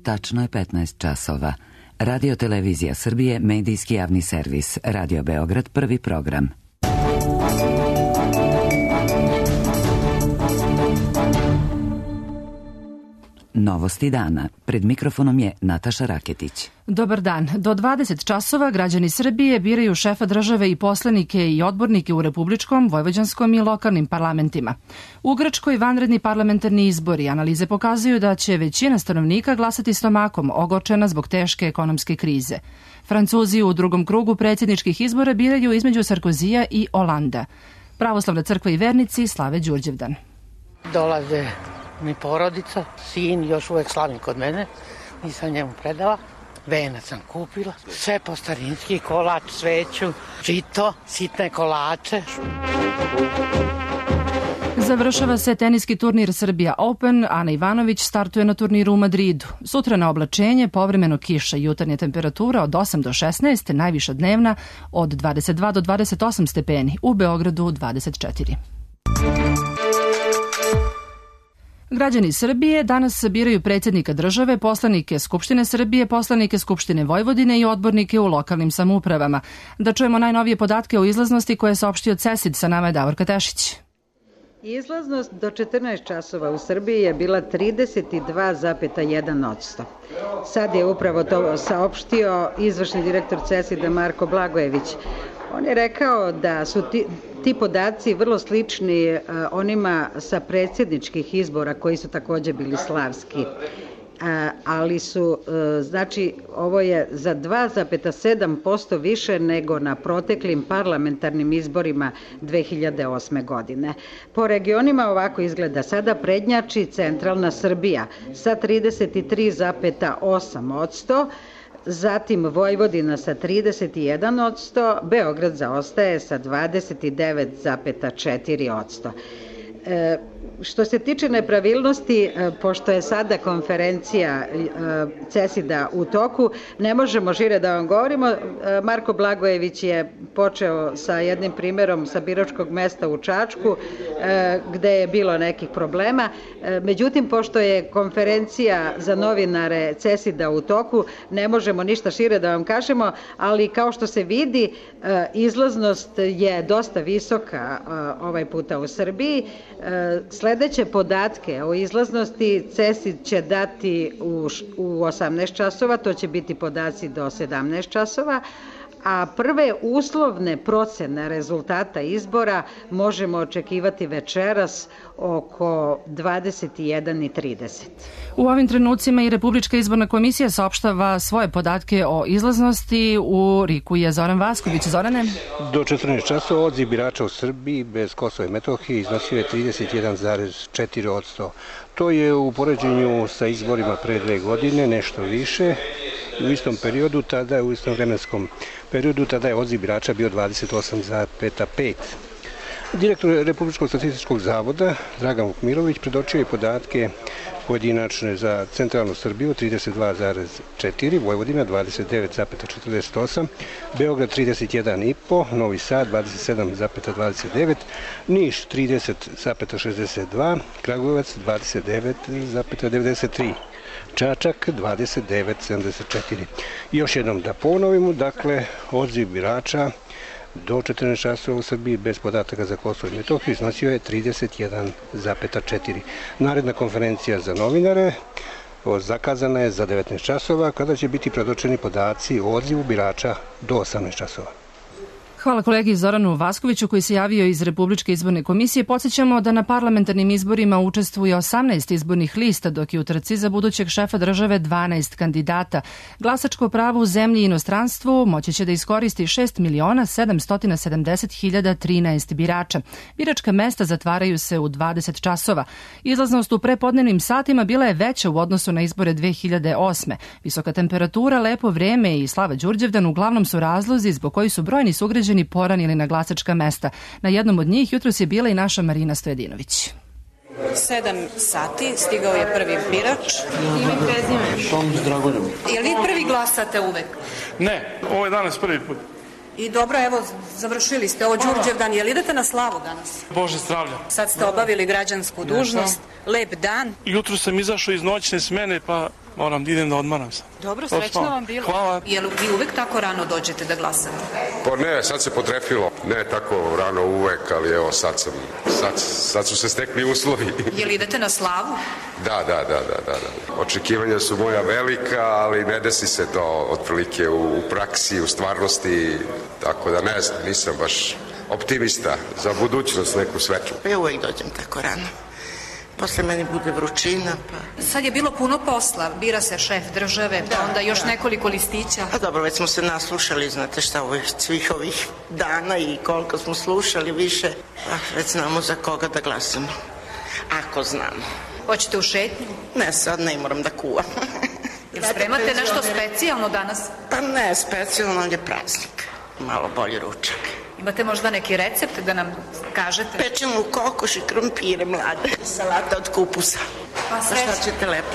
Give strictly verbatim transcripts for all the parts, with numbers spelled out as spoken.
Tačno je petnaest časova. Radio Televizija Srbije, medijski javni servis. Radio Beograd, prvi program. Novosti dana. Pred mikrofonom je Nataša Raketić. Dobar dan. Do dvadeset časova građani Srbije biraju šefa države i poslanike i odbornike u republičkom, vojvođanskom i lokalnim parlamentima. U Grčkoj vanredni parlamentarni izbori analize pokazuju da će većina stanovnika glasati stomakom, ogorčena zbog teške ekonomske krize. Francuzi u drugom krugu predsjedničkih izbora biraju između Sarkozija i Olanda. Pravoslavna crkva i vernici slave Đurđevdan. Dolaze mi porodica, sin još uvek slavim kod mene, nisam njemu predala. Venac sam kupila, sve po starinski, kolač, sveću, žito, sitne kolače. Završava se teniski turnir Srbija Open, Ana Ivanović startuje na turniru u Madridu. Sutra na oblačenje, povremeno kiša, jutarnja temperatura od osam do šesnaest, najviša dnevna od dvadeset dva do dvadeset osam stepeni, u Beogradu dvadeset četiri. Građani Srbije danas biraju predsjednika države, poslanike Skupštine Srbije, poslanike Skupštine Vojvodine i odbornike u lokalnim samoupravama. Da čujemo najnovije podatke o izlaznosti koje je saopštio CESID, sa nama je Davorka Tešić. Izlaznost do četrnaest časova u Srbiji je bila trideset dva zarez jedan posto. Sad je upravo to saopštio izvršni direktor CESID-a Marko Blagojević. On je rekao da su ti, ti podaci vrlo slični uh, onima sa predsjedničkih izbora koji su također bili slavski. Uh, ali su, uh, znači, ovo je za dva zarez sedam posto više nego na proteklim parlamentarnim izborima dve hiljade osme. godine. Po regionima ovako izgleda. Sada prednjači centralna Srbija sa trideset tri zarez osam posto, zatim Vojvodina sa trideset jedan posto, Beograd zaostaje sa dvadeset devet zarez četiri posto. E, što se tiče nepravilnosti, e, pošto je sada konferencija e, CESID-a u toku, ne možemo šire da vam govorimo. E, Marko Blagojević je počeo sa jednim primjerom sa biračkog mesta u Čačku, e, gde je bilo nekih problema. E, međutim, pošto je konferencija za novinare CESID-a u toku, ne možemo ništa šire da vam kažemo, ali kao što se vidi, e, izlaznost je dosta visoka e, ovaj puta u Srbiji. Sledeće podatke o izlaznosti CESID će dati u, u osamnaest časova, to će biti podaci do sedamnaest časova, a prve uslovne procene rezultata izbora možemo očekivati večeras oko dvadeset jedan i trideset. U ovim trenucima i Republička izborna komisija saopštava svoje podatke o izlaznosti. U Riku je Zoran Vasković. Zorane? Do četrnaest časova odziv birača u Srbiji bez Kosova i Metohije iznosio je trideset jedan zarez četiri posto. To je u poređenju sa izborima pre dve godine nešto više. U istom periodu, tada je u istom vremenskom periodu, tada je odziv birača bio dvadeset osam zarez pet posto. Direktor Republičkog statističkog zavoda Dragan Vukmirović predočio je podatke pojedinačne za centralnu Srbiju trideset dva zarez četiri, Vojvodina dvadeset devet zarez četrdeset osam, Beograd trideset jedan zarez pet, Novi Sad dvadeset sedam zarez dvadeset devet, Niš trideset zarez šezdeset dva, Kragujevac dvadeset devet zarez devedeset tri. Čačak dvadeset devet zarez sedamdeset četiri. Još jednom da ponovimo, dakle, odziv birača do četrnaest časova u Srbiji bez podataka za Kosovo i Metohiju iznosio je trideset jedan zarez četiri. Naredna konferencija za novinare zakazana je za devetnaest časova, kada će biti predočeni podaci o odzivu birača do osamnaest časova. Hvala kolegi Zoranu Vaskoviću koji se javio iz Republičke izborne komisije. Podsjećamo da na parlamentarnim izborima učestvuje osamnaest izbornih lista, dok je u trci za budućeg šefa države dvanaest kandidata. Glasačko pravo u zemlji i inostranstvu moći će da iskoristi šest miliona sedamsto sedamdeset hiljada trinaest birača. Biračka mesta zatvaraju se u dvadeset časova. Izlaznost u prepodnevnim satima bila je veća u odnosu na izbore dve hiljade osme. Visoka temperatura, lepo vreme i slava Đurđevdan uglavnom su razlozi zbog koji su brojni sugrađani poranili na glasačka mesta. Na jednom od njih jutros je bila i naša Marina Stojedinović. Sedam sati, stigao je prvi birač. Ime i prezime. Tomić Dragoljub. Jel vi prvi glasate uvek? Ne, ovo je danas prvi put. I dobro, evo, završili ste ovo Đurđevdan. Jel idete na slavu danas? Bože zdravlja. Sad ste obavili građansku dužnost. Lep dan. Jutro sam izašao iz noćne smene, pa Moram da idem da odmaram se. Dobro, srećno vam bilo. Hvala. Jel vi uvek tako rano dođete da glasate? Pa ne, sad se potrefilo. Ne tako rano uvek, ali evo sad sam, sad, sad su se stekli uslovi. Jel idete na slavu? Da, da, da, da, da, da. Očekivanja su moja velika, ali ne desi se to otprilike u, u praksi, u stvarnosti, tako da ne znam, nisam baš optimista za budućnost neku svetlu. Ja uvek dođem tako rano. Posle meni bude vrućina, pa... Sad je bilo puno posla, bira se šef države, pa da, onda još da. nekoliko listića. A dobro, već smo se naslušali, znate šta, ovih, svih ovih dana i koliko smo slušali više, pa već znamo za koga da glasamo. Ako znamo. Hoćete u šetnju? Ne, sad ne moram da kuvam. Jel spremate nešto specijalno danas? Pa ne, specijalno, ali je praznik. Malo bolji ručak. Imate možda neki recept da nam kažete? Pečemo u kokoš i krompire mlade, salata od kupusa. Pa sreće. Šta ćete lepo?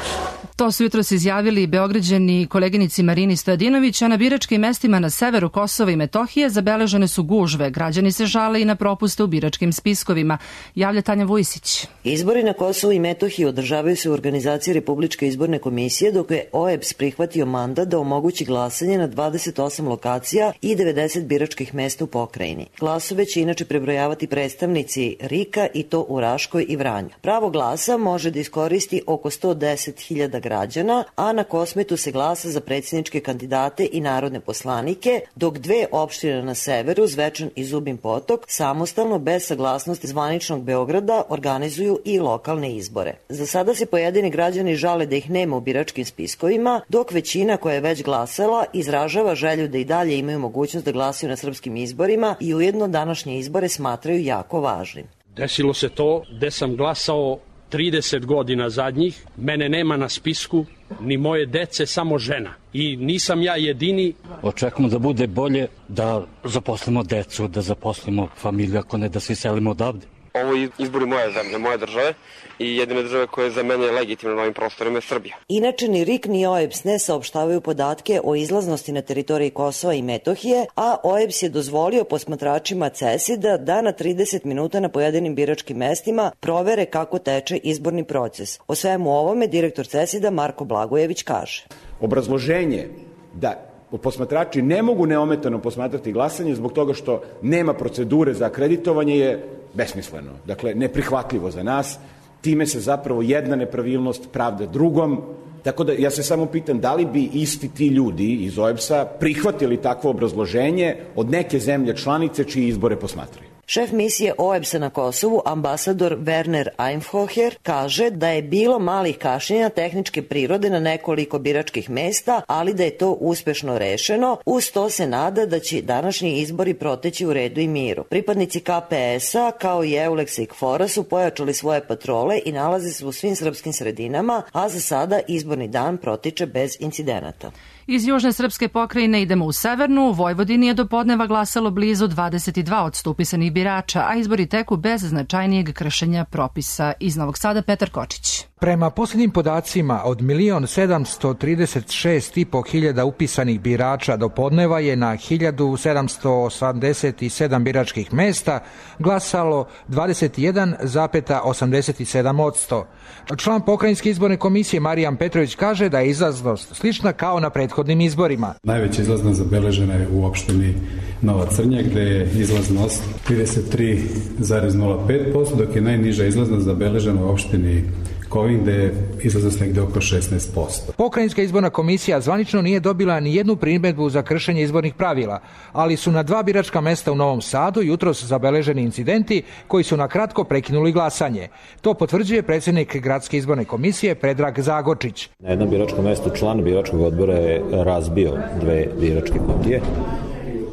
To su jutros izjavili Beograđani koleginici Marini Stojadinović, a na biračkim mestima na severu Kosova i Metohije zabeležene su gužve. Građani se žale i na propuste u biračkim spiskovima. Javlja Tanja Vujisić. Izbori na Kosovu i Metohiji održavaju se u organizaciji Republičke izborne komisije, dok je O E B S prihvatio mandat da omogući glasanje na dvadeset osam lokacija i devedeset biračkih mesta u pokrajini. Glasove će inače prebrojavati predstavnici R I K-a i to u Raškoj i Vranju. Pravo glasa može da iskoristi oko sto deset hiljada građana, a na Kosmetu se glasa za predsjedničke kandidate i narodne poslanike, dok dve opštine na severu, Zvečan i Zubin Potok, samostalno bez saglasnosti zvaničnog Beograda organizuju i lokalne izbore. Za sada se pojedini građani žale da ih nema u biračkim spiskovima, dok većina koja je već glasala izražava želju da i dalje imaju mogućnost da glasaju na srpskim izborima i ujedno današnje izbore smatraju jako važnim. Desilo se to gde sam glasao trideset godina zadnjih, mene nema na spisku, ni moje dece, samo žena. I nisam ja jedini. Očekujemo da bude bolje, da zaposlimo decu, da zaposlimo familiju, ako ne da se iselimo odavde. Ovo je izbori moje zemlje, moje države i jedine države koje je za mene legitimno na ovim prostorima je Srbija. Inače, ni R I K ni O E B S ne saopštavaju podatke o izlaznosti na teritoriji Kosova i Metohije, a O E B S je dozvolio posmatračima CESID-a da na trideset minuta na pojedinim biračkim mestima provere kako teče izborni proces. O svemu ovome direktor CESID-a Marko Blagojević kaže. Obrazloženje da posmatrači ne mogu neometano posmatrati glasanje zbog toga što nema procedure za akreditovanje je besmisleno. Dakle, neprihvatljivo za nas. Time se zapravo jedna nepravilnost pravda drugom. Tako da ja se samo pitam da li bi isti ti ljudi iz O E B S-a prihvatili takvo obrazloženje od neke zemlje članice čiji izbore posmatraju. Šef misije O E B S-a na Kosovu, ambasador Werner Einhofer, kaže da je bilo malih kašnjenja tehničke prirode na nekoliko biračkih mesta, ali da je to uspešno rešeno. Uz to se nada da će današnji izbori proteći u redu i miru. Pripadnici K P S-a kao i Euleksa i K F O R-a su pojačali svoje patrole i nalaze se u svim srpskim sredinama, a za sada izborni dan protiče bez incidenata. Iz južne srpske pokrajine idemo u severnu. U Vojvodini je do podneva glasalo blizu dvadeset dva posto upisanih birača, a izbori teku bez značajnijeg kršenja propisa. Iz Novog Sada Petar Kočić. Prema posljednjim podacima, od milion sedamsto trideset šest i po hiljada upisanih birača do podneva je na hiljadu sedamsto osamdeset sedam biračkih mesta glasalo dvadeset jedan zarez osamdeset sedam posto. Član pokrajinske izborne komisije Marijan Petrović kaže da je izlaznost slična kao na prethodnim izborima. Najveća izlaznost zabeležena je u opštini Nova Crnja, gde je izlaznost trideset tri zarez nula pet posto, dok je najniža izlaznost zabeležena u opštini Kovin, gde je izlaznost negde oko šesnaest posto. Pokrajinska izborna komisija zvanično nije dobila ni jednu primedbu za kršenje izbornih pravila, ali su na dva biračka mesta u Novom Sadu jutros zabeleženi incidenti koji su na kratko prekinuli glasanje. To potvrđuje predsjednik gradske izborne komisije Predrag Zagočić. Na jednom biračkom mestu član biračkog odbora je razbio dve biračke kutije,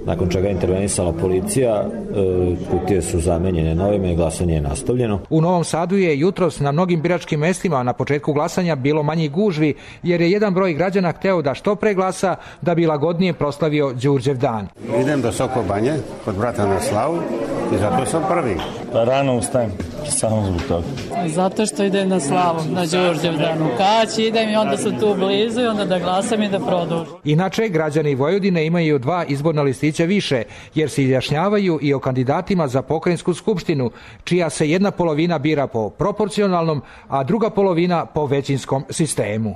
nakon čega je intervenisala policija, kutije su zamenjene novime i glasanje je nastavljeno. U Novom Sadu je jutros na mnogim biračkim mestima na početku glasanja bilo manji gužvi, jer je jedan broj građana hteo da što pre glasa da bi lagodnije proslavio Đurđev dan. Idem do Sokobanje kod brata na slavu i zato sam prvi. Rano ustajem, samo zbog toga. Zato što idem na slavu, na Đurđev dan u Kaći, idem i onda su tu blizu i onda da glasam i da produžim. Inače, građani Vojvodine imaju dva izborna listića više, jer se izjašnjavaju i o kandidatima za pokrajinsku skupštinu, čija se jedna polovina bira po proporcionalnom, a druga polovina po većinskom sistemu.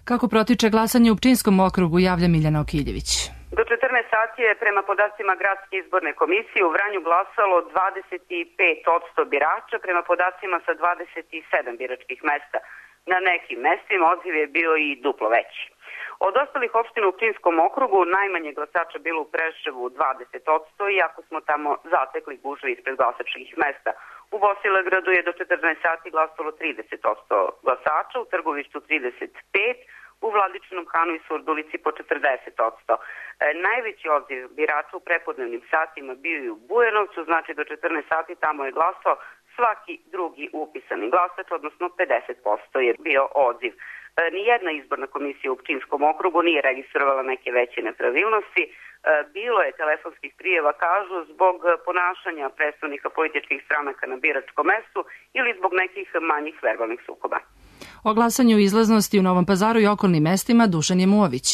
Kako protiče glasanje u Pčinjskom okrugu, javlja Miljana Okiljević. Do četrnaest sati je prema podacima Gradske izborne komisije u Vranju glasalo dvadeset pet posto birača, prema podacima sa dvadeset sedam biračkih mesta. Na nekim mestima odziv je bio i duplo veći. Od ostalih opština u Pčinjskom okrugu najmanje glasača bilo u Preševu dvadeset posto, iako smo tamo zatekli gužve ispred glasačkih mesta. U Bosilegradu je do četrnaest sati glasalo trideset posto glasača, u Trgovištu trideset pet posto, u Vladičinom Hanu i Surdulici po četrdeset posto. E, najveći odziv birača u prepodnevnim satima bio i u Bujanovcu, znači do četrnaest sati tamo je glasao svaki drugi upisani glasač, odnosno pedeset posto je bio odziv. E, nijedna izborna komisija u Pčinjskom okrugu nije registrovala neke veće nepravilnosti. E, bilo je telefonskih prijeva, kažu, zbog ponašanja predstavnika političkih stranaka na biračkom mestu ili zbog nekih manjih verbalnih sukoba. O glasanju izlaznosti u Novom Pazaru i okolnim mestima Dušan Jemuović.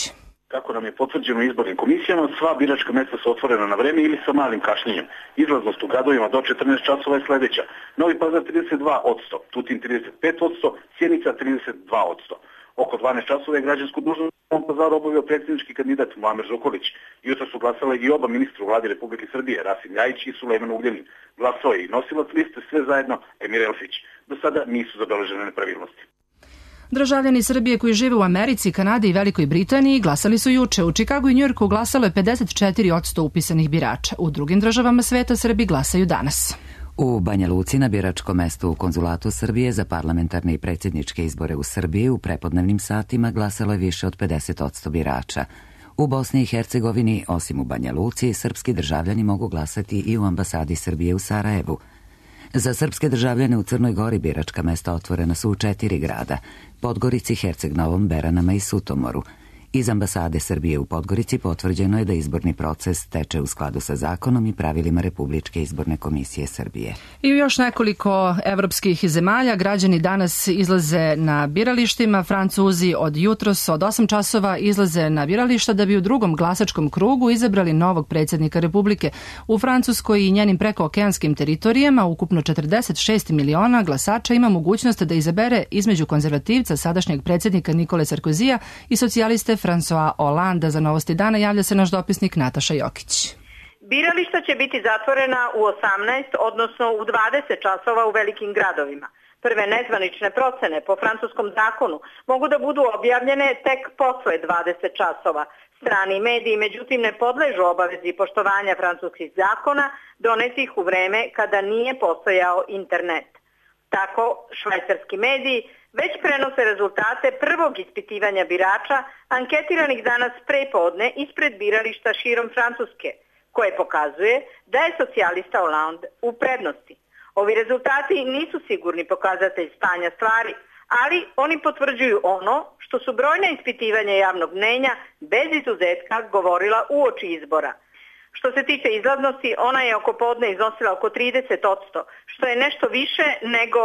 Kako nam je potvrđeno izbornim komisijama, sva biračka mesta su otvorena na vreme ili sa malim kašnjenjem. Izlaznost u gradovima do četrnaest časova je sledeća. Novi Pazar trideset dva posto, Tutin trideset pet posto, Sjenica trideset dva posto. Oko dvanaest časova je građansku dužnost u Novom Pazaru obavio predsjednički kandidat Muamer Zukorlić. Jutro su glasale i oba ministra u vladi Republike Srbije, Rasim Ljajić i Sulejman Ugljanin. Glasao je i nosilac liste Sve zajedno Emir Elfić. Do sada nisu zabeležene nepravilnosti. Državljani Srbije koji žive u Americi, Kanadi i Velikoj Britaniji glasali su juče. U Čikagu i Njujorku glasalo je pedeset četiri posto upisanih birača. U drugim državama sveta Srbi glasaju danas. U Banja Luci na biračkom mestu u Konzulatu Srbije za parlamentarne i predsjedničke izbore u Srbiji u prepodnevnim satima glasalo je više od pedeset posto birača. U Bosni i Hercegovini, osim u Banja Luci, srpski državljani mogu glasati i u ambasadi Srbije u Sarajevu. Za srpske državljane u Crnoj Gori biračka mesta otvorena su u četiri grada: Podgorici, Herceg Novom, Beranama i Sutomoru. Iz ambasade Srbije u Podgorici potvrđeno je da izborni proces teče u skladu sa zakonom i pravilima Republičke izborne komisije Srbije. I u još nekoliko evropskih zemalja građani danas izlaze na biralištima. Francuzi od jutros od osam časova izlaze na birališta da bi u drugom glasačkom krugu izabrali novog predsjednika Republike. U Francuskoj i njenim prekookeanskim teritorijama ukupno četrdeset šest miliona glasača ima mogućnost da izabere između konzervativca sadašnjeg predsjednika Nikole Sarkozija i socijaliste François Hollande. Za Novosti dana javlja se naš dopisnik Nataša Jokić. Birališta će biti zatvorena u osamnaest, odnosno u dvadeset časova u velikim gradovima. Prve nezvanične procene po francuskom zakonu mogu da budu objavljene tek posle dvadeset časova. Strani mediji, međutim, ne podležu obavezi poštovanja francuskih zakona donetih u vreme kada nije postojao internet. Tako, švajcarski mediji već prenose rezultate prvog ispitivanja birača anketiranih danas prepodne ispred birališta širom Francuske, koje pokazuje da je socijalista Hollande u prednosti. Ovi rezultati nisu sigurni pokazatelj stanja stvari, ali oni potvrđuju ono što su brojna ispitivanja javnog mnenja bez izuzetka govorila uoči izbora. Što se tiče izlaznosti, ona je oko podne iznosila oko trideset posto, što je nešto više nego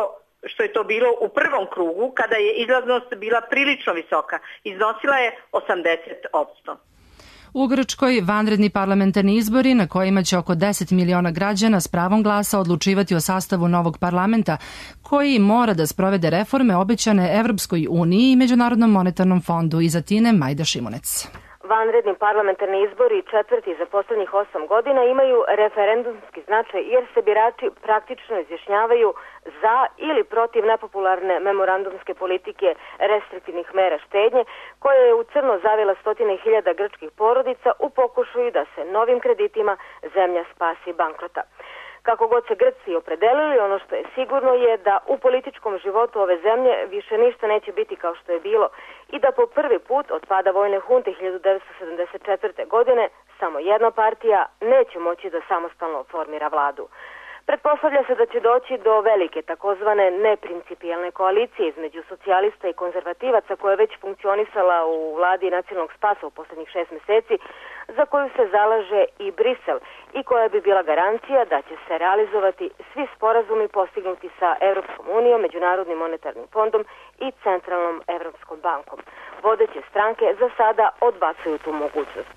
što je to bilo u prvom krugu, kada je izlaznost bila prilično visoka. Iznosila je osamdeset posto. U Grčkoj vanredni parlamentarni izbori na kojima će oko deset miliona građana s pravom glasa odlučivati o sastavu novog parlamenta, koji mora da sprovede reforme obećane Evropskoj uniji i Međunarodnom monetarnom fondu. Iz Atine Majda Šimunec. Vanredni parlamentarni izbori, četvrti za poslednjih osam godina, imaju referendumski značaj jer se birači praktično izjašnjavaju za ili protiv nepopularne memorandumske politike restriktivnih mera štednje, koja je u crno zavila stotine hiljada grčkih porodica u pokušaju da se novim kreditima zemlja spasi bankrota. Kako god se Grci opredelili, ono što je sigurno je da u političkom životu ove zemlje više ništa neće biti kao što je bilo i da po prvi put od pada vojne hunte hiljadu devetsto sedamdeset četvrte. godine samo jedna partija neće moći da samostalno formira vladu. Pretpostavlja se da će doći do velike takozvane neprincipijelne koalicije između socijalista i konzervativaca koja je već funkcionisala u vladi nacionalnog spasa u posljednjih šest meseci, za koju se zalaže i Brisel i koja bi bila garancija da će se realizovati svi sporazumi postignuti sa Evropskom unijom, Međunarodnim monetarnim fondom i Centralnom Evropskom bankom. Vodeće stranke za sada odbacuju tu mogućnost.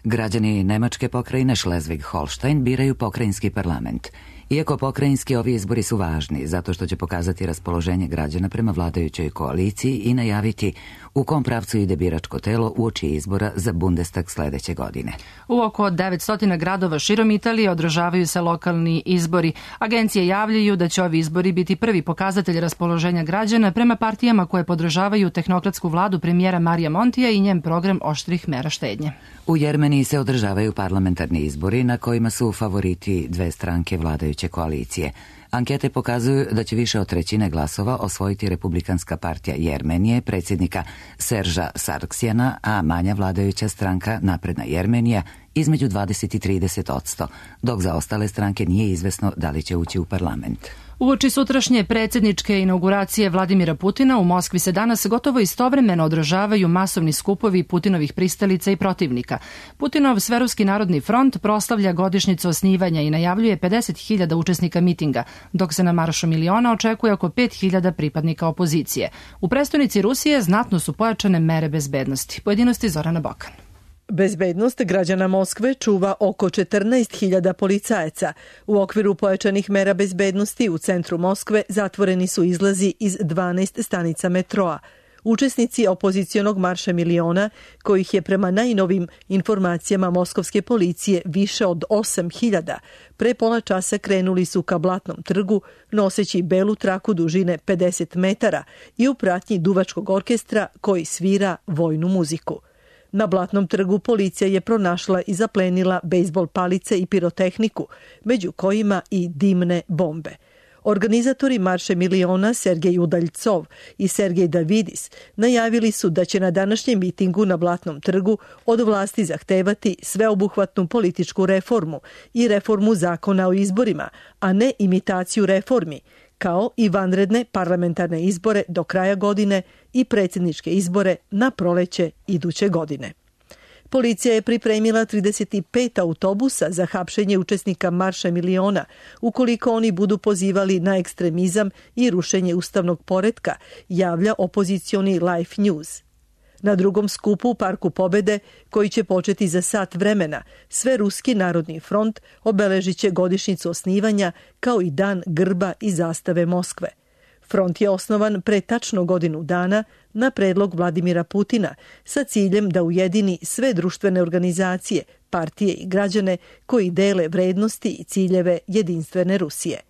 Građani nemačke pokrajine Schleswig-Holstein biraju pokrajinski parlament. Iako pokrajinski, ovi izbori su važni zato što će pokazati raspoloženje građana prema vladajućoj koaliciji i najaviti u kom pravcu ide biračko telo uoči izbora za Bundestag sledeće godine. U oko devetsto gradova širom Italije održavaju se lokalni izbori. Agencije javljaju da će ovi izbori biti prvi pokazatelj raspoloženja građana prema partijama koje podržavaju tehnokratsku vladu premijera Marija Montija i njen program oštrih mera štednje. U Jermeniji se održavaju parlamentarni izbori na kojima su favoriti dve stranke vladajuće koalicije. Ankete pokazuju da će više od trećine glasova osvojiti Republikanska partija Jermenije, predsjednika Serža Sarksjana, a manja vladajuća stranka Napredna Jermenija između dvadeset i trideset odsto, dok za ostale stranke nije izvesno da li će ući u parlament. Uoči sutrašnje predsjedničke inauguracije Vladimira Putina u Moskvi se danas gotovo istovremeno održavaju masovni skupovi Putinovih pristalica i protivnika. Putinov Sveruski narodni front proslavlja godišnjicu osnivanja i najavljuje pedeset hiljada učesnika mitinga, dok se na Maršu miliona očekuje oko pet hiljada pripadnika opozicije. U prestonici Rusije znatno su pojačane mere bezbednosti. Pojedinosti Zorana Bokan. Bezbednost građana Moskve čuva oko četrnaest hiljada policajaca. U okviru pojačanih mera bezbednosti u centru Moskve zatvoreni su izlazi iz dvanaest stanica metroa. Učesnici opozicionog marša miliona, kojih je prema najnovim informacijama moskovske policije više od osam hiljada, pre pola časa krenuli su ka Blatnom trgu, noseći belu traku dužine pedeset metara i u pratnji duvačkog orkestra koji svira vojnu muziku. Na Blatnom trgu policija je pronašla i zaplenila bejsbol palice i pirotehniku, među kojima i dimne bombe. Organizatori Marše miliona Sergej Udaljcov i Sergej Davidis najavili su da će na današnjem mitingu na Blatnom trgu od vlasti zahtevati sveobuhvatnu političku reformu i reformu zakona o izborima, a ne imitaciju reformi, kao i vanredne parlamentarne izbore do kraja godine i predsjedničke izbore na proleće iduće godine. Policija je pripremila trideset pet autobusa za hapšenje učesnika Marša miliona, ukoliko oni budu pozivali na ekstremizam i rušenje ustavnog poretka, javlja opozicioni Life News. Na drugom skupu u Parku Pobede, koji će početi za sat vremena, Sveruski narodni front obeležit će godišnjicu osnivanja kao i dan grba i zastave Moskve. Front je osnovan pre tačno godinu dana na predlog Vladimira Putina sa ciljem da ujedini sve društvene organizacije, partije i građane koji dele vrednosti i ciljeve jedinstvene Rusije.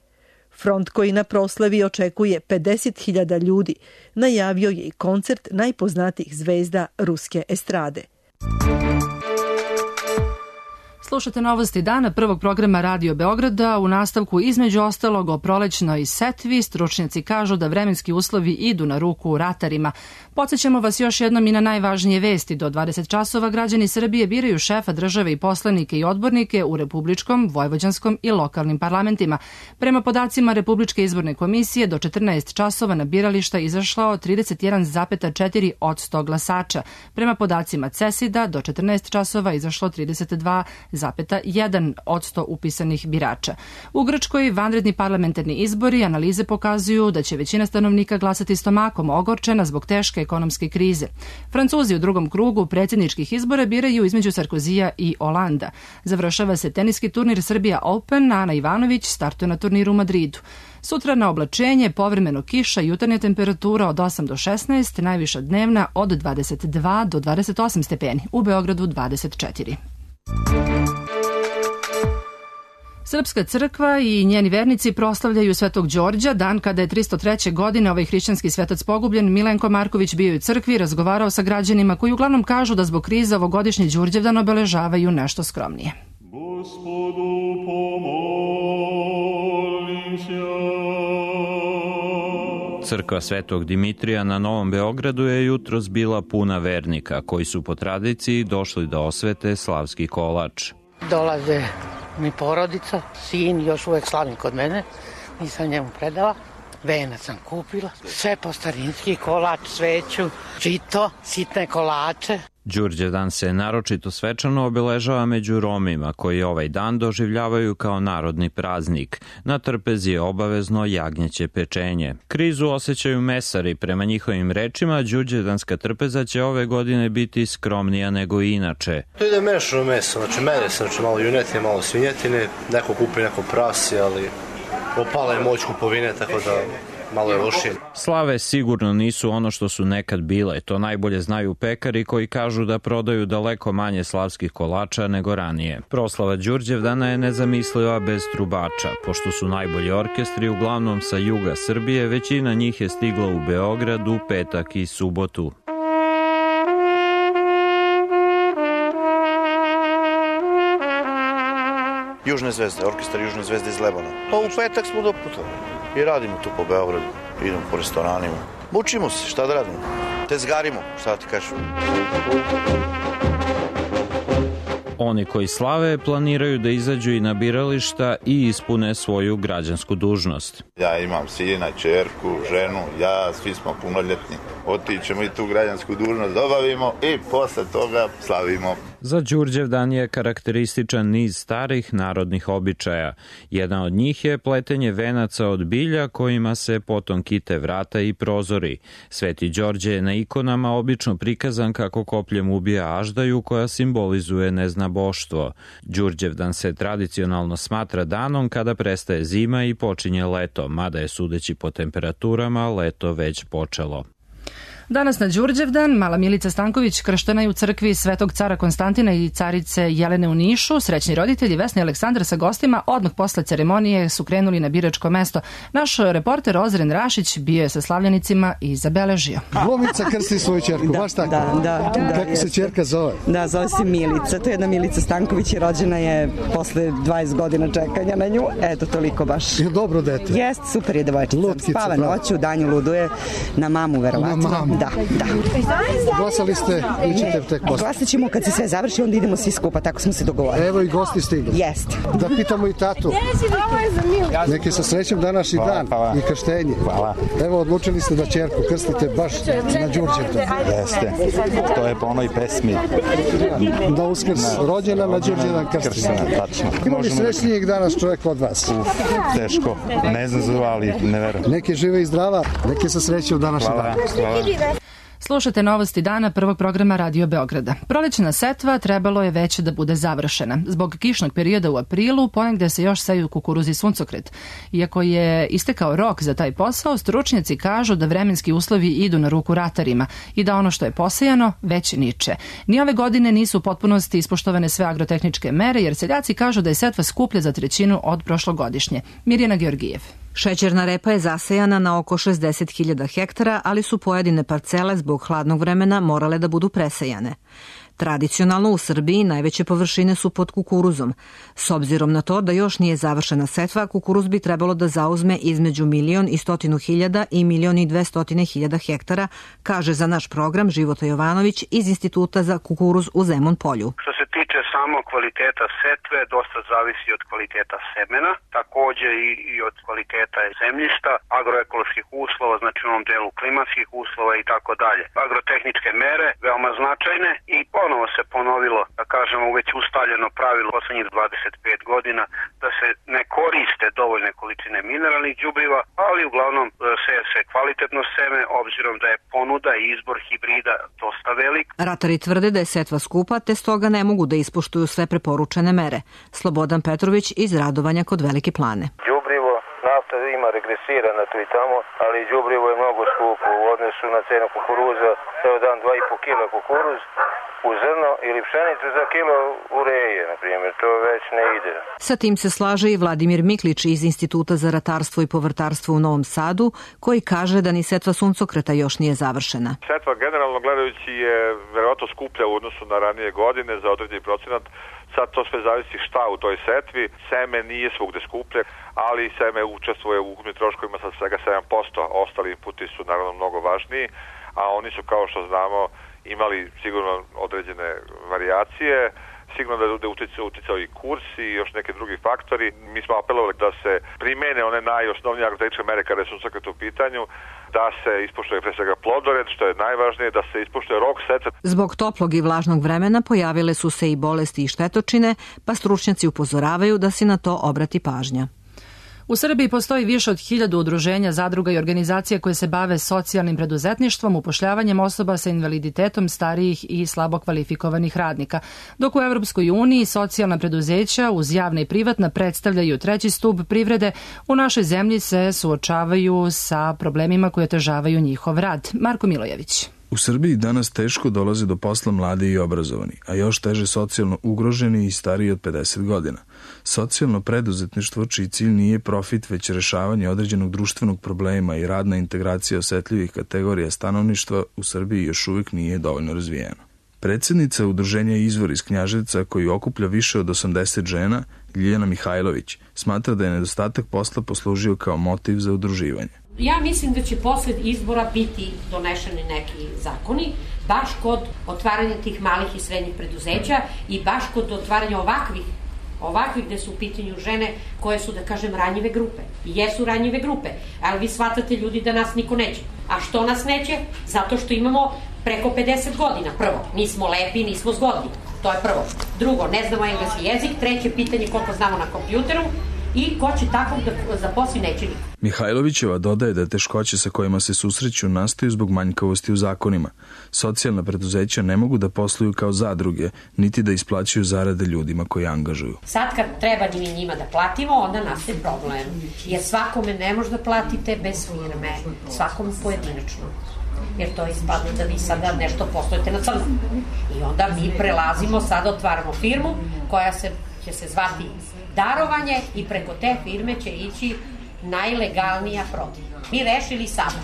Front koji na proslavi očekuje pedeset hiljada ljudi najavio je i koncert najpoznatijih zvezda ruske estrade. Slušate novosti dana prvog programa Radio Beograda. U nastavku između ostalog o prolećnoj setvi stručnjaci kažu da vremenski uslovi idu na ruku ratarima. Podsjećamo vas još jednom i na najvažnije vesti. Do dvadeset časova građani Srbije biraju šefa države i poslanike i odbornike u republičkom, vojvođanskom i lokalnim parlamentima. Prema podacima Republičke izborne komisije do četrnaest časova na birališta izašlo trideset jedan zarez četiri odsto glasača. Prema podacima CESID-a do četrnaest časova izašlo trideset dva zarez jedan odsto upisanih birača. U Grčkoj vanredni parlamentarni izbori analize pokazuju da će većina stanovnika glasati stomakom, ogorčena zbog teške ekonomske krize. Francuzi u drugom krugu predsjedničkih izbora biraju između Sarkozija i Olanda. Završava se teniski turnir Srbija Open, Ana Ivanović startuje na turniru u Madridu. Sutra na oblačenje, povremeno kiša, jutarnja temperatura od osam do šesnaest, najviša dnevna od dvadeset dva do dvadeset osam stepeni, u Beogradu dvadeset četiri. Srpska crkva i njeni vernici proslavljaju Svetog Đorđa, dan kada je tristo treće godine ovaj hrišćanski svetac pogubljen. Milenko Marković bio je u crkvi i razgovarao sa građanima koji uglavnom kažu da zbog krize ovogodišnji Đurđevdan obeležavaju nešto skromnije. Gospodu pomolim se. Crkva Svetog Dimitrija na Novom Beogradu je jutros bila puna vernika koji su po tradiciji došli da osvete slavski kolač. Dolaze mi porodica, sin još uvek slavim kod mene, nisam njemu predala. Venac sam kupila, sve po starinski, kolač, sveću, žito, sitne kolače. Đurđevdan se naročito svečano obeležava među Romima, koji ovaj dan doživljavaju kao narodni praznik. Na trpezi je obavezno jagnjeće pečenje. Krizu osjećaju mesari. Prema njihovim rečima, đurđevdanska trpeza će ove godine biti skromnija nego inače. To ide mešano meso, znači mene se, znači malo junetine, malo svinjetine, neko kupi neko prasi, ali opala je moć kupovine, tako da malo je lošije. Slave sigurno nisu ono što su nekad bile. To najbolje znaju pekari koji kažu da prodaju daleko manje slavskih kolača nego ranije. Proslava Đurđevdana je nezamisliva bez trubača. Pošto su najbolji orkestri uglavnom sa juga Srbije, većina njih je stigla u Beograd u petak i subotu. Južne zvezde, orkestar Južne zvezde iz Lebana. Pa u petak smo doputovali i radimo tu po Beogradu, idemo po restoranima. Mučimo se, šta da radimo? Tezgarimo, šta ti kažem. Oni koji slave planiraju da izađu i na birališta i ispune svoju građansku dužnost. Ja imam sina, ćerku, ženu, ja, svi smo punoljetni. Otićemo i tu građansku dužnost obavimo i posle toga slavimo. Za Đurđevdan je karakterističan niz starih narodnih običaja. Jedan od njih je pletenje venaca od bilja kojima se potom kite vrata i prozori. Sveti Đorđe je na ikonama obično prikazan kako kopljem ubija aždaju koja simbolizuje neznaboštvo. Đurđevdan se tradicionalno smatra danom kada prestaje zima i počinje leto, mada je sudeći po temperaturama leto već počelo. Danas na Đurđevdan mala Milica Stanković krštena je u crkvi Svetog cara Konstantina i carice Jelene u Nišu. Srećni roditelji Vesna i Aleksandar sa gostima odmah posle ceremonije su krenuli na biračko mesto. Naš reporter Ozren Rašić bio je sa slavljenicima i zabeležio. Glumica krsti svoju ćerku, da, baš tako? Da, da, da. Kako se ćerka zove? Da, zove se Milica. To je jedna Milica Stanković i rođena je posle dvadeset godina čekanja na nju. Eto, toliko baš. Je dobro dete. Jest, super je devojčica. Spava noću, danju luduje, na mamu verovatno. Na mamu. Da, da. Glasali ste ili ćete tek posle? Glasat ćemo kad se sve završi, onda idemo svi skupa, tako smo se dogovorili. Evo i gosti stigli. Jeste. Da pitamo i tatu. Neke sa srećem današnji dan i krštenje. Hvala. Evo, odlučili ste da ćerku krstite baš na Đurđevdan. Jeste. To je po onoj pesmi. Da uskrs rođena na Đurđevdan krstena. Tačno. Ima li srećnijeg danas čovjek od vas? Uf, teško. Ne znam, ali ne verujem. Neke žive i zdrava, neke sa srećem današnji dan. Hvala. Slušate novosti dana prvog programa Radio Beograda. Prolećna setva trebalo je već da bude završena. Zbog kišnog perioda u aprilu ponegde se još seju kukuruz i suncokret. Iako je istekao rok za taj posao, stručnjaci kažu da vremenski uslovi idu na ruku ratarima i da ono što je posejano već niče. Ni ove godine nisu u potpunosti ispoštovane sve agrotehničke mere jer seljaci kažu da je setva skuplja za trećinu od prošlogodišnje. Mirjana Georgijev. Šećerna repa je zasejana na oko šezdeset hiljada hektara, ali su pojedine parcele zbog hladnog vremena morale da budu presejane. Tradicionalno u Srbiji najveće površine su pod kukuruzom. S obzirom na to da još nije završena setva, kukuruz bi trebalo da zauzme između milion i stotinu hiljada i milion i dvestotine hiljada hektara, kaže za naš program Života Jovanović iz Instituta za kukuruz u Zemun Polju. Što se tiče samo kvaliteta setve, dosta zavisi od kvaliteta semena, takođe i, i od kvaliteta zemljišta, agroekoloških uslova, znači u onom delu klimatskih uslova i tako dalje. Agrotehničke mere veoma značajne i ponovo se ponovilo, da kažemo, već ustaljeno pravilo poslednjih dvadeset pet godina da se ne koriste dovoljne količine mineralnih đubriva, ali uglavnom seje se kvalitetno seme obzirom da je ponuda i izbor hibrida dosta velik. Ratari tvrde da je setva skupa, te stoga ne mogu da ispoštuju sve preporučene mere. Slobodan Petrović iz Radovanja kod Velike Plane. Đubrivo, nafta ima regresirana tu i tamo, ali đubrivo je mnogo skupo u odnosu na cenu kukuruza. Evo dan dva i po kila kukuruz u zrno ili pšenicu za kilo ureje, na primjer, to već ne ide. Sa tim se slaže i Vladimir Miklić iz Instituta za ratarstvo i povrtarstvo u Novom Sadu, koji kaže da ni setva suncokreta još nije završena. Setva generalno gledajući je verovatno skuplja u odnosu na ranije godine za određeni procenat. Sad to sve zavisi šta u toj setvi. Seme nije svugde skuplje, ali seme učestvuje u ukupnim troškovima sa svega sedam posto. Ostali inputi su naravno mnogo važniji, a oni su, kao što znamo, imali sigurno određene varijacije, sigurno da je uticao i kurs i još neke drugi faktori. Mi smo apelovali da se primene one najosnovnije agrotehničke mere kada je suncokret u pitanju, da se ispoštuje pre svega plodored, što je najvažnije, da se ispoštuje rok setve. Zbog toplog i vlažnog vremena pojavile su se i bolesti i štetočine, pa stručnjaci upozoravaju da se na to obrati pažnja. U Srbiji postoji više od hiljadu udruženja, zadruga i organizacija koje se bave socijalnim preduzetništvom, upošljavanjem osoba sa invaliditetom, starijih i slabo kvalifikovanih radnika. Dok u Evropskoj uniji socijalna preduzeća uz javna i privatna predstavljaju treći stub privrede, u našoj zemlji se suočavaju sa problemima koje otežavaju njihov rad. Marko Milojević. U Srbiji danas teško dolaze do posla mladi i obrazovani, a još teže socijalno ugroženi i stariji od pedeset godina. Socijalno preduzetništvo, čiji cilj nije profit, već rešavanje određenog društvenog problema i radna integracija osetljivih kategorija stanovništva u Srbiji još uvijek nije dovoljno razvijeno. Predsednica udruženja Izvor iz Knjaževca, koji okuplja više od osamdeset žena, Ljiljana Mihajlović, smatra da je nedostatak posla poslužio kao motiv za udruživanje. Ja mislim da će posled izbora biti donešeni neki zakoni, baš kod otvaranja tih malih i srednjih preduzeća i baš kod otvaranja ovakvih, ovakvih gde su u pitanju žene koje su, da kažem, ranjive grupe. I jesu ranjive grupe, ali vi shvatate ljudi da nas niko neće. A što nas neće? Zato što imamo preko pedeset godina. Prvo, nismo lepi, nismo zgodni. To je prvo. Drugo, ne znamo engleski jezik. Treće pitanje, koliko znamo na kompjuteru. I ko će takvog da zaposli, neće niko. Mihajlovićeva dodaje da teškoće sa kojima se susreću nastaju zbog manjkavosti u zakonima. Socijalna preduzeća ne mogu da posluju kao zadruge, niti da isplaćuju zarade ljudima koji angažuju. Sad kad treba mi njima da platimo, onda nastaje problem. Jer svakome ne može da platite bez firme, svakom pojedinačno. Jer to ispadne da vi sada nešto poslujete na crno. I onda mi prelazimo, sada otvaramo firmu koja se, će se zvati darovanje i preko te firme će ići najlegalnija prodaja. Mi rešili samo.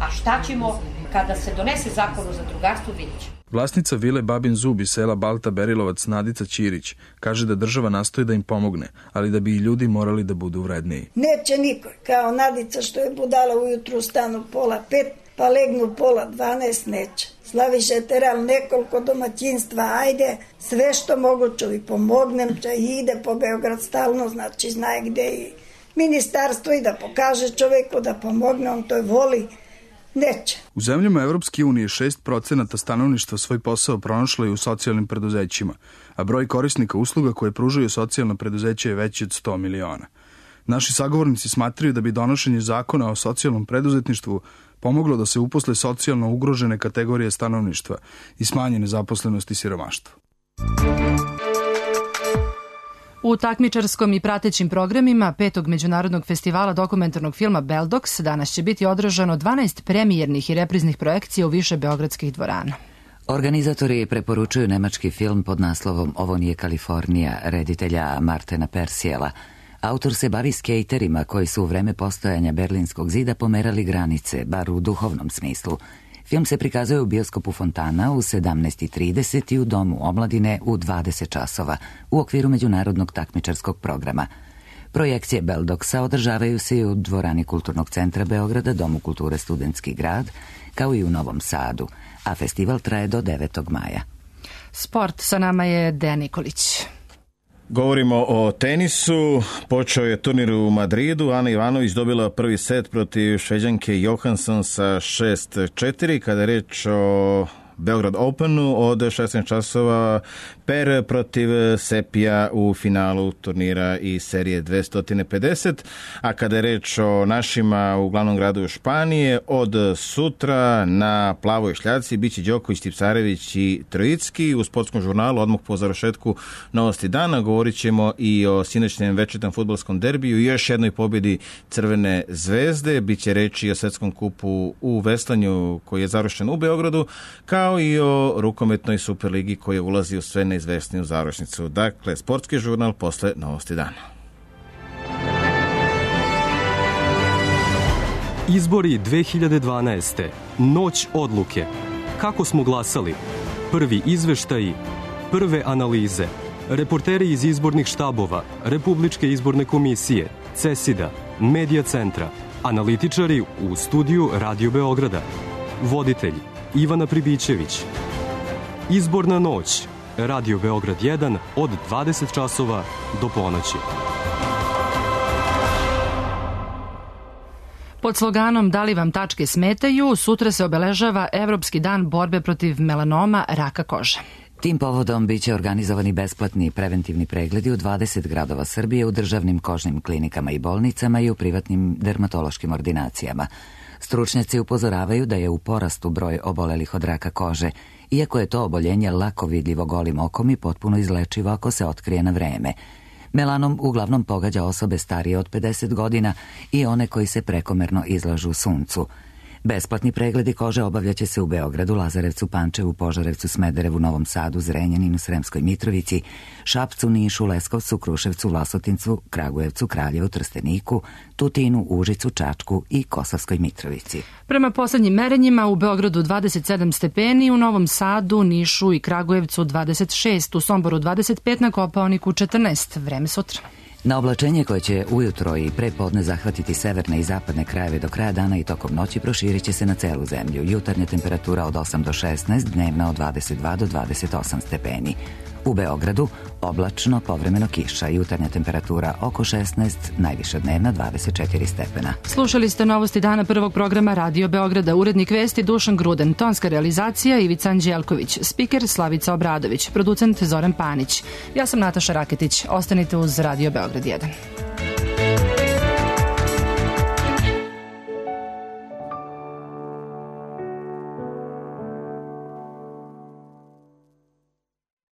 A šta ćemo kada se donese zakon o zadrugarstvu, vidjet ćemo. Vlasnica vile Babin Zub iz sela Balta Berilovac Nadica Ćirić kaže da država nastoji da im pomogne, ali da bi i ljudi morali da budu vredniji. Neće niko, kao Nadica što je budala ujutru stanu pola pet, pa legnu pola dvanaest, neće. Slaviše teral nekoliko domaćinstva, ajde, sve što mogu čuvi, pomognem će i ide po Beograd stalno, znači znaje gde i ministarstvo i da pokaže čoveku da pomogne, on to voli, neće. U zemljama Evropske unije šest procenata stanovništva svoj posao pronašlo je u socijalnim preduzećima, a broj korisnika usluga koje pružaju socijalna preduzeća je veći od sto miliona. Naši sagovornici smatraju da bi donošenje zakona o socijalnom preduzetništvu pomoglo da se uposle socijalno ugrožene kategorije stanovništva i smanje nezaposlenost i siromaštvo. U takmičarskom i pratećim programima petog međunarodnog festivala dokumentarnog filma Beldox danas će biti održano dvanaest premijernih i repriznih projekcija u više beogradskih dvorana. Organizatori preporučuju nemački film pod naslovom Ovo nije Kalifornija, reditelja Martena Persijela. Autor se bavi skejterima koji su u vreme postojanja Berlinskog zida pomerali granice, bar u duhovnom smislu. Film se prikazuje u bioskopu Fontana u sedamnaest i trideset i u Domu omladine u dvadeset časova u okviru međunarodnog takmičarskog programa. Projekcije Beldoksa održavaju se i u dvorani Kulturnog centra Beograda, Domu kulture Studentski grad, kao i u Novom Sadu, a festival traje do devetog maja. Sport, sa nama je Dejan Nikolić. Govorimo o tenisu. Počeo je turnir u Madridu. Ana Ivanović dobila prvi set protiv Šveđanke Johansson sa šest četiri. Kada je reč o Beograd Openu od šesnaest časova Per protiv Sepija u finalu turnira i serije dvesta pedeset, a kada je reč o našima u glavnom gradu Španije, od sutra na plavoj šljaci biće Đoković, Tipsarević i Trojicki. U sportskom žurnalu odmah po završetku novosti dana govorit ćemo i o sinoćnem večernjem fudbalskom derbiju i još jednoj pobjedi Crvene zvezde. Biće reči o svetskom kupu u veslanju koji je završen u Beogradu, kao i o rukometnoj Superligi koja ulazi u sve neizvesniju završnicu. Dakle, sportski žurnal posle novosti dana. Izbori dve hiljade dvanaeste. Noć odluke. Kako smo glasali? Prvi izveštaji, prve analize, reporteri iz izbornih štabova, Republičke izborne komisije, CESID-a, Medija centra, analitičari u studiju Radio Beograda, voditelj Ivana Pribićević. Izborna noć, Radio Beograd jedan od dvadeset časova do ponoći. Pod sloganom Da li vam tačke smetaju, sutra se obeležava Evropski dan borbe protiv melanoma, raka kože. Tim povodom biće organizovani besplatni preventivni pregledi u dvadeset gradova Srbije u državnim kožnim klinikama i bolnicama i u privatnim dermatološkim ordinacijama. Stručnjaci upozoravaju da je u porastu broj obolelih od raka kože, iako je to oboljenje lako vidljivo golim okom i potpuno izlečivo ako se otkrije na vreme. Melanom uglavnom pogađa osobe starije od pedeset godina i one koji se prekomerno izlažu suncu. Besplatni pregledi kože obavljaće se u Beogradu, Lazarevcu, Pančevu, Požarevcu, Smederevu, Novom Sadu, Zrenjaninu, Sremskoj Mitrovici, Šapcu, Nišu, Leskovcu, Kruševcu, Vlasotincu, Kragujevcu, Kraljevu, Trsteniku, Tutinu, Užicu, Čačku i Kosovskoj Mitrovici. Prema poslednjim merenjima u Beogradu dvadeset sedam stepeni, u Novom Sadu, Nišu i Kragujevcu dvadeset šest, u Somboru dvadeset pet, na Kopaoniku četrnaest. Vreme sutra. Na oblačenje koje će ujutro i pre podne zahvatiti severne i zapadne krajeve do kraja dana i tokom noći proširit će se na celu zemlju. Jutarnja temperatura od osam do šesnaest, dnevna od dvadeset dva do dvadeset osam stepeni. U Beogradu oblačno, povremeno kiša, jutarnja temperatura oko šesnaest, najviša dnevna dvadeset četiri stepena. Slušali ste novosti dana prvog programa Radio Beograda, urednik vesti Dušan Gruden, tonska realizacija Ivica Anđelković, spiker Slavica Obradović, producent Zoran Panić. Ja sam Nataša Raketić, ostanite uz Radio Beograd jedan.